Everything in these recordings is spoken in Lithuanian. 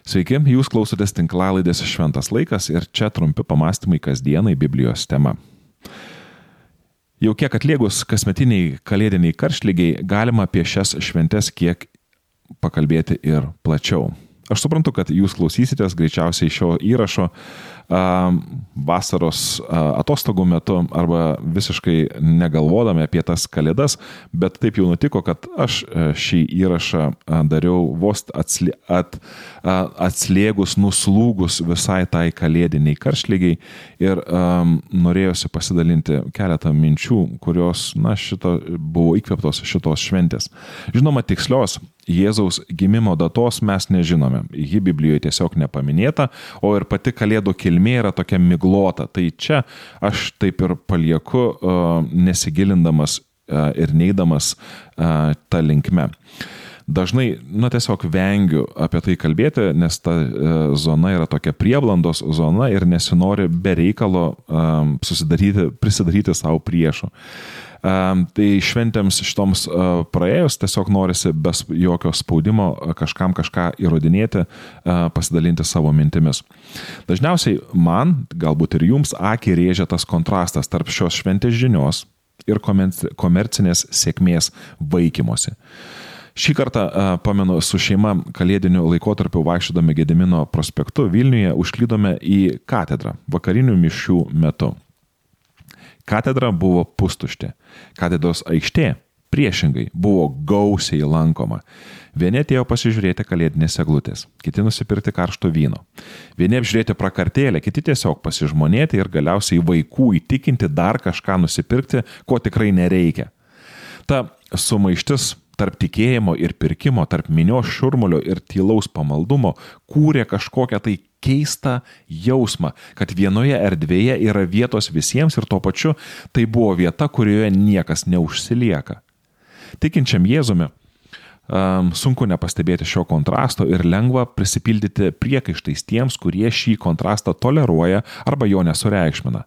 Sveiki, jūs klausotės tinklalaidės Šventas laikas ir čia trumpi pamastymai kasdienai Biblijos tema. Jau kiek atliegus kasmetiniai kalėdiniai karštligiai, galima apie šias šventes kiek pakalbėti ir plačiau. Aš suprantu, kad jūs klausysitės greičiausiai šio įrašo vasaros atostogų metu arba visiškai negalvodami apie tas kalėdas, bet taip jau nutiko, kad aš šį įrašą dariau vos atslėgus, nuslūgus visai tai kalėdiniai karštligiai ir norėjosi pasidalinti keletą minčių, kurios buvo įkvėptos šitos šventės. Žinoma, tikslios Jėzaus gimimo datos mes nežinome. Ji Biblijoje tiesiog nepaminėta, o ir pati kalėdų kilmė yra tokia miglota. Tai čia aš taip ir palieku, nesigilindamas ir neidamas tą linkme. Dažnai, tiesiog vengiu apie tai kalbėti, nes ta zona yra tokia prieblandos zona ir nesinori be reikalo prisidaryti savo priešų. Tai šventėms šitoms praėjus tiesiog norisi be jokio spaudimo kažkam kažką įrodinėti, pasidalinti savo mintimis. Dažniausiai man, galbūt ir jums, akį rėžia tas kontrastas tarp šios šventės žinios ir komercinės sėkmės vaikymosi. Šį kartą, pamenu, su šeima kalėdiniu laikotarpiu vaikščiodami Gedimino prospektu Vilniuje užklydome į katedrą vakarinių mišių metu. Katedra buvo pustuštė. Katedros aikštė priešingai buvo gausiai lankoma. Vieni atėjo pasižiūrėti kalėdinės eglutės, kiti nusipirkti karšto vyno. Vieni apžiūrėti prakartėlę, kiti tiesiog pasižmonėti ir galiausiai vaikų įtikinti dar kažką nusipirkti, ko tikrai nereikia. Ta sumaištis tarp tikėjimo ir pirkimo, tarp minios šurmulio ir tylaus pamaldumo kūrė kažkokią tai keistą jausmą, kad vienoje erdvėje yra vietos visiems ir tuo pačiu tai buvo vieta, kurioje niekas neužsilieka. Tikinčiam Jėzumi sunku nepastebėti šio kontrasto ir lengva prisipildyti priekaištais tiems, kurie šį kontrastą toleruoja arba jo nesureikšmina.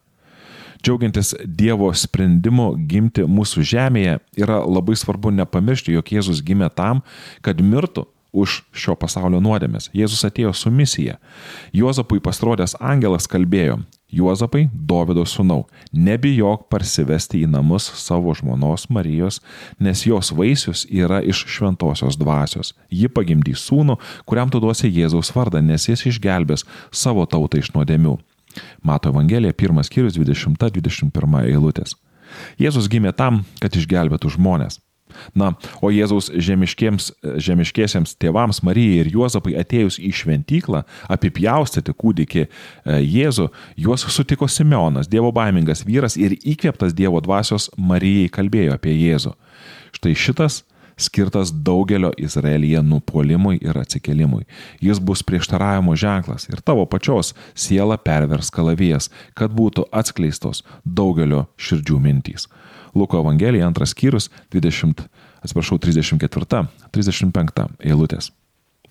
Džiaugiantis Dievo sprendimu gimti mūsų žemėje, yra labai svarbu nepamiršti, jog Jėzus gimė tam, kad mirtų už šio pasaulio nuodėmes. Jėzus atėjo su misija. Juozapui pasirodęs angelas kalbėjo: Juozapai, Dovydo sūnau, nebijok parsivesti į namus savo žmonos Marijos, nes jos vaisius yra iš šventosios dvasios. Ji pagimdys sūnų, kuriam tu duosi Jėzaus vardą, nes jis išgelbės savo tautą iš nuodėmių. Mato Evangelija, 1 skyrius, 20-21 eilutės. Jėzus gimė tam, kad išgelbėtų žmonės. O Jėzaus žemiškiesiems tėvams Marijai ir Juozapai atėjus į šventyklą apipjaustyti kūdikį Jėzų, juos sutiko Simeonas, dievobaimingas vyras ir įkvėptas Dievo dvasios Marijai kalbėjo apie Jėzų. Štai šitas skirtas daugelio Izraelyje nupuolimui ir atsikėlimui. Jis bus prieštaravimo ženklas ir tavo pačios siela pervers kalavijas, kad būtų atskleistos daugelio širdžių mintys. Luko Evangelija 2 skyrius 34-35 eilutės.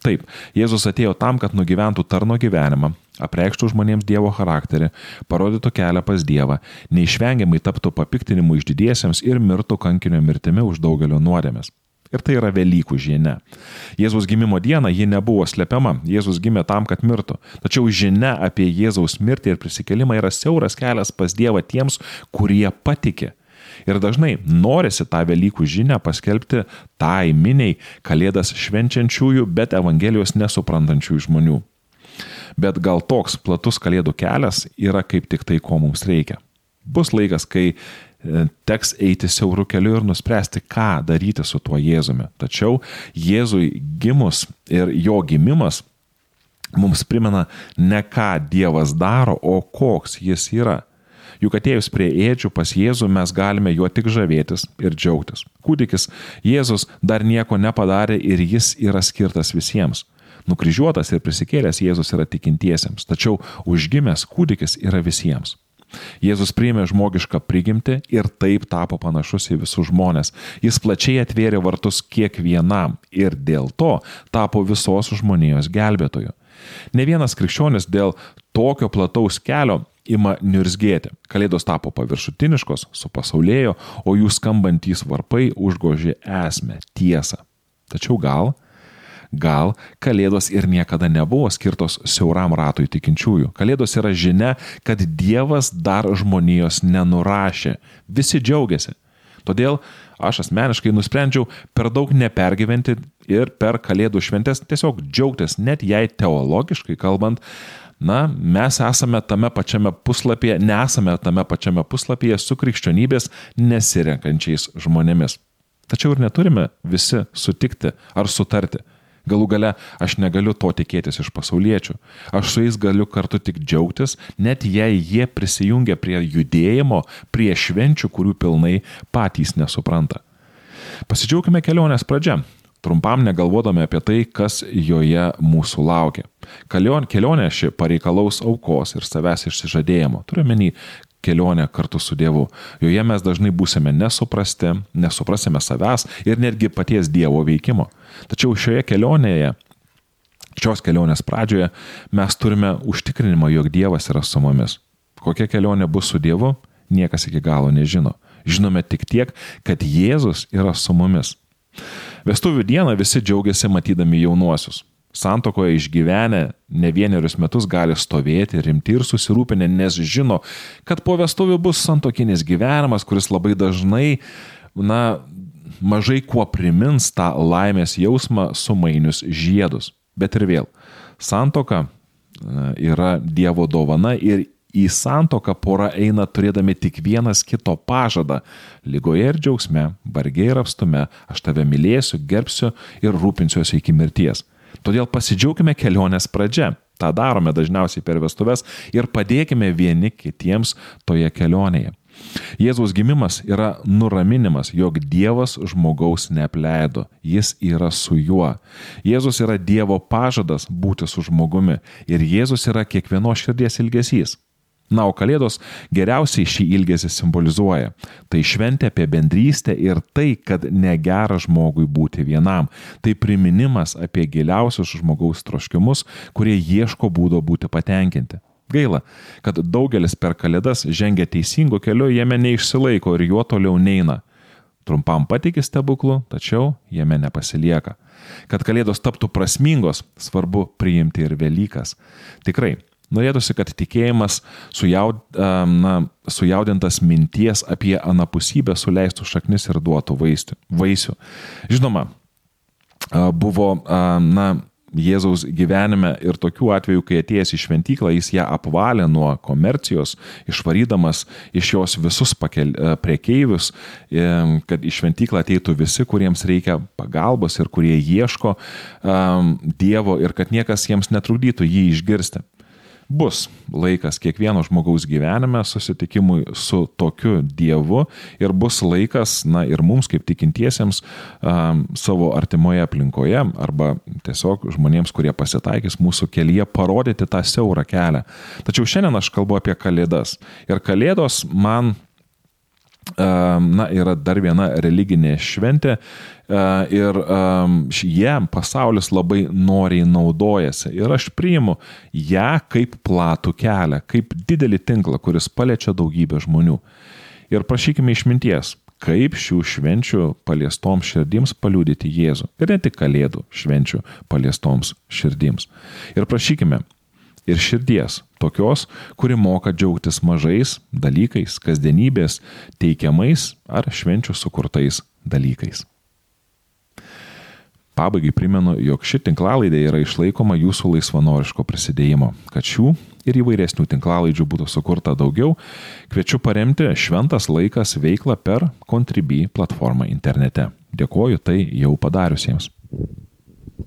Taip, Jėzus atėjo tam, kad nugyventų tarno gyvenimą, apreikštų žmonėms Dievo charakterį, parodytų kelią pas Dievą, neišvengiamai taptų papiktinimu išdidiesiems ir mirtų kankinio mirtimi už daugelio nuodėmes. Ir tai yra Velykų žinia. Jėzaus gimimo dieną ji nebuvo slepiama. Jėzus gimė tam, kad mirtų. Tačiau žinia apie Jėzaus mirtį ir prisikėlimą yra siauras kelias pas Dievą tiems, kurie patiki. Ir dažnai norisi tą Velykų žinią paskelbti tai miniai kalėdas švenčiančiųjų, bet Evangelijos nesuprantančiųjų žmonių. Bet gal toks platus kalėdų kelias yra kaip tik tai, ko mums reikia. Bus laikas, kai teks eiti siauru keliu ir nuspręsti, ką daryti su tuo Jėzumi. Tačiau Jėzui gimus ir jo gimimas mums primena ne ką Dievas daro, o koks jis yra. Juk atėjus prie ėdžių pas Jėzų mes galime juo tik žavėtis ir džiaugtis. Kūdikis Jėzus dar nieko nepadarė ir jis yra skirtas visiems. Nukryžiuotas ir prisikėlęs Jėzus yra tikintiesiems, tačiau užgimęs kūdikis yra visiems. Jėzus priėmė žmogišką prigimtį ir taip tapo panašus į visus žmonės. Jis plačiai atvėrė vartus kiekvienam ir dėl to tapo visos žmonijos gelbėtoju. Ne vienas krikščionis dėl tokio plataus kelio ima niurzgėti. Kalėdos tapo paviršutiniškos, supasaulėjo, o jų skambantys varpai užgožė esmę, tiesą. Tačiau gal Gal Kalėdos ir niekada nebuvo skirtos siauram ratui tikinčiųjų. Kalėdos yra žinia, kad Dievas dar žmonijos nenurašė. Visi džiaugiasi. Todėl aš asmeniškai nusprendžiau per daug nepergyventi ir per Kalėdų šventes tiesiog džiaugtis, net jei teologiškai kalbant, mes nesame tame pačiame puslapyje su krikščionybės nesirenkančiais žmonėmis. Tačiau ir neturime visi sutikti ar sutarti. Galų gale aš negaliu to tikėtis iš pasauliečių. Aš su jais galiu kartu tik džiaugtis, net jei jie prisijungia prie judėjimo, prie švenčių, kurių pilnai patys nesupranta. Pasidžiaugime kelionės pradžia, trumpam negalvodami apie tai, kas joje mūsų laukia. Kelionė ši pareikalaus aukos ir savęs išsižadėjimo. Turiu omeny kelionę kartu su Dievu. Joje mes dažnai būsime nesuprasti, nesuprasime savęs ir netgi paties Dievo veikimo. Tačiau šios kelionės pradžioje mes turime užtikrinimą, jog Dievas yra su mumis. Kokia kelionė bus su Dievu, niekas iki galo nežino. Žinome tik tiek, kad Jėzus yra su mumis. Vestuvių dieną visi džiaugiasi matydami jaunuosius. Santuokoje išgyvenę ne vienerius metus gali stovėti rimti ir susirūpinę, nes žino, kad po vestuvių bus santuokinis gyvenimas, kuris labai dažnai, mažai kuo primins tą laimės jausmą sumainius žiedus. Bet ir vėl, santuoka yra Dievo dovana ir į santuoką pora eina turėdami tik vienas kito pažadą. Ligoje ir džiaugsme, varge ir apstume, aš tave mylėsiu, gerbsiu ir rūpinsiuosi iki mirties. Todėl pasidžiaugime kelionės pradžia. Ta darome dažniausiai per vestuves ir padėkime vieni kitiems toje kelionėje. Jėzaus gimimas yra nuraminimas, jog Dievas žmogaus neapleido, jis yra su juo. Jėzus yra Dievo pažadas būti su žmogumi ir Jėzus yra kiekvienos širdies ilgesys. O Kalėdos geriausiai šį ilgesį simbolizuoja. Tai šventė apie bendrystę ir tai, kad negera žmogui būti vienam. Tai priminimas apie giliausius žmogaus troškimus, kurie ieško būdo būti patenkinti. Gaila, kad daugelis per Kalėdas žengia teisingu keliu, jame neišsilaiko ir juo toliau neina. Trumpam patiki stebuklų, tačiau jame nepasilieka. Kad Kalėdos taptų prasmingos, svarbu priimti ir Velykas. Tikrai, norėtųsi, kad tikėjimas sujaudintas minties apie anapusybę suleistų šaknis ir duotų vaisių. Žinoma, buvo Jėzaus gyvenime ir tokių atvejų, kai atėjęs į šventyklą, jis ją apvalė nuo komercijos, išvarydamas iš jos visus prekeivius, kad į šventyklą ateitų visi, kuriems reikia pagalbos ir kurie ieško Dievo ir kad niekas jiems netrukdytų jį išgirsti. Bus laikas kiekvieno žmogaus gyvenime susitikimui su tokiu Dievu ir bus laikas, ir mums kaip tikintiesiems savo artimoje aplinkoje arba tiesiog žmonėms, kurie pasitaikys mūsų kelyje, parodyti tą siaurą kelią. Tačiau šiandien aš kalbu apie Kalėdas. Ir Kalėdos man yra dar viena religinė šventė ir pasaulis labai noriai naudojasi ir aš priimu ją kaip platų kelią, kaip didelį tinklą, kuris paliečia daugybę žmonių. Ir prašykime išminties, kaip šių švenčių paliestoms širdims paliudyti Jėzų. Ir ne tik Kalėdų švenčių paliestoms širdims. Ir prašykime ir širdies, tokios, kuri moka džiaugtis mažais dalykais, kasdienybės teikiamais ar švenčių sukurtais dalykais. Pabaigai primenu, jog ši tinklalaidė yra išlaikoma jūsų laisvanoriško prisidėjimo. Kad šių ir įvairesnių tinklalaidžių būtų sukurta daugiau, kviečiu paremti Šventas laikas veiklą per Contribui platformą internete. Dėkoju tai jau padariusiems.